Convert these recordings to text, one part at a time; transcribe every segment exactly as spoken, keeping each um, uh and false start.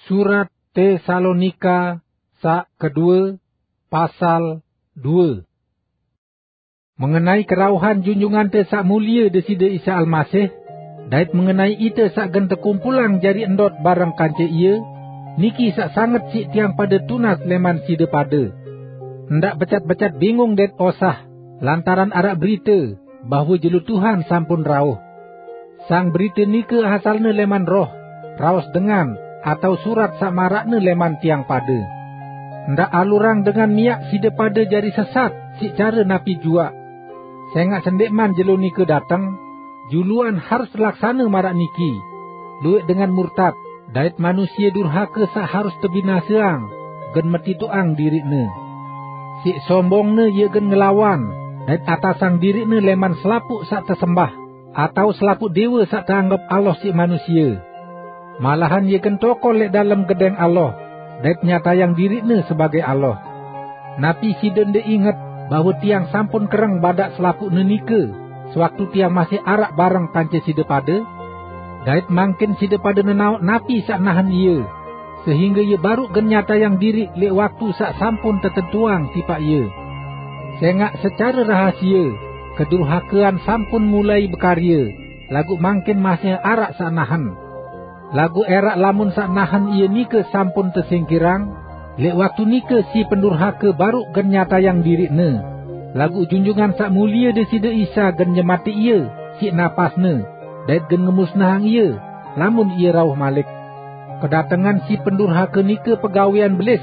Surat Tesalonika saq kedue, pasal due. Mengenai kerauhan Junjungante Saq Mulie Deside Isa Almasih, dait mengenai ite saq gen tekumpulang jari ndot bareng kance Ie, niki saq sanget siq tiang pade tunas leman side pade. Ndaq becat-becat bingung dait osah, lantaran araq berite bahwe jelo Tuhan sampun rauh. Sang berite nike asalne leman roh, raos dengan, atao surat saq maraqne leman tiang pade. Ndaq alurang dengan miaq side pade jari sesat siq care napi juaq. Sengaq sendeqman jelo nike dateng, juluan harus telaksane maraq niki: lueq dengan murtad, dait manusie durhake saq harus tebinaseang, gen metitoqang diriqne. Siq sombongne ie gen ngelawan, dait atasang diriqne leman selapuq saq tesembah, atao selapuq dewe saq teanggep Allah siq manusie. Malahan ie gen tokol leq dalem gedeng Allah, dait nyatayang diriqne sebagaq Allah. Napi side ndeq inget bahwe tiang sampun kereng badaq selapuqne nike, sewaktu tiang masih araq bareng kance side pade? Dait mangkin side pade nenaoq napi saq nahen ie, sehingge ie baruq gen nyatayang diriq leq waktu saq sampun tetentuang tipaq ie. Sengaq secare rahasie, kedurhakean sampun mulai bekarye, laguq mangkin masih araq saq nahen. Laguq eraq lamun saq nahen ie nike sampun tesingkirang, leq waktu nike si pendurhake baruq gen nyatayang diriqne, laguq Junjungan Saq Mulie Deside Isa gen nyematiq ie siq napasne, dait gen ngemusnahang ie, lamun ie rauh malik. Kedatengan si pendurhake nike pegawean Belis,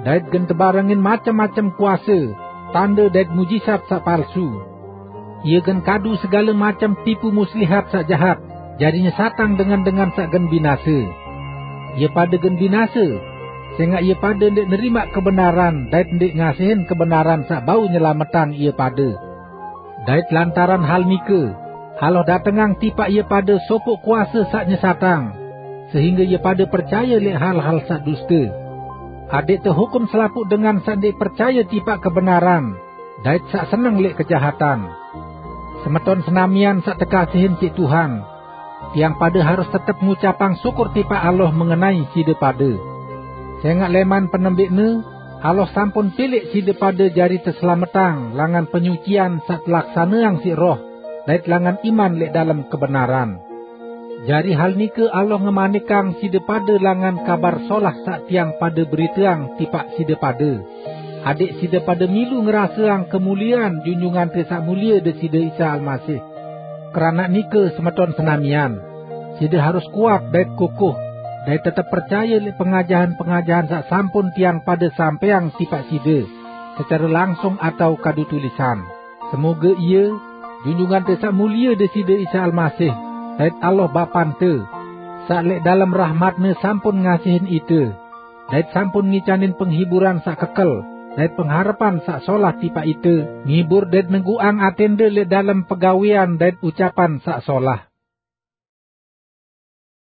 dait gen tebarengin macem-macem kuase, tande dait mujizat saq palsu. Ie gen kadu segale macem tipu muslihat saq jahat, jari nyesatang dengan-dengan saq gen binase. Ie pade gen binase, sengaq ie pade ndeq nerimaq kebenaran dait ndeq ngasihin kebenaran saq bau nyelametang ie pade. Dait lantaran hal nike, Allah datengang tipaq ie pade sopoq kuase saq nyesatang, sehingge ie pade percaye leq hal-hal saq duste, adeq tehukum selapuq dengan saq ndeq percaye tipaq kebenaran, dait saq seneng leq kejahatan. Semeton senamian saq tekasihin siq Tuhan, tiang pade harus tetep ngucapang syukur tipaq Allah mengenai side pade. Sengaq leman penembeqne, Allah sampun pilek side pade jari teselametang langan penyucian saq telaksaneang siq Roh, dait langan iman leq dalem kebenaran. Jari hal nike Allah ngemanikang side pade langan Kabar Solah saq tiang pade beriteang tipaq side pade, adeq side pade milu ngeraseang kemuliean Junjungante Saq Mulie Deside Isa Almasih. Keranaq nike, semeton senamian, side harus kuat dait kukuh, dait tetep percaye leq pengajahan-pengajahan saq sampun tiang pade sampeang tipaq side, secare langsung atao kadu tulisan. Semoge Ie, Junjungante Saq Mulie Deside Isa Almasih, dait Allah Bapante, saq leq dalem rahmat-Ne sampun ngasihin ite, dait sampun ngicanin penghiburan saq kekel, dait pengharepan saq solah tipaq ite, ngibur dait neguqang atende leq dalem pegawean dait ucapan saq solah.